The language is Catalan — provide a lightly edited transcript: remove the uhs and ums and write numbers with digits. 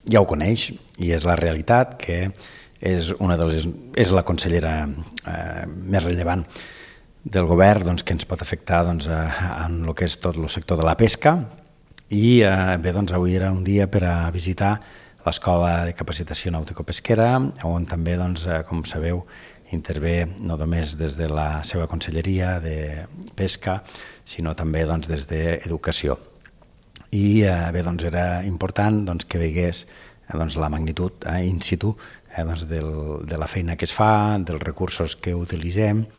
ja ho coneix i és la realitat, que és la consellera més rellevant del govern, doncs, que ens pot afectar en el que és tot el sector de la pesca. I bé, doncs avui era un dia per a visitar l'Escola de Capacitació Nàutico-Pesquera, on també, doncs, com sabeu, intervé no només des de la seva conselleria de pesca, sinó també doncs, des d'educació. I bé, doncs, era important que veiés la magnitud in situ de la feina que es fa, dels recursos que utilitzem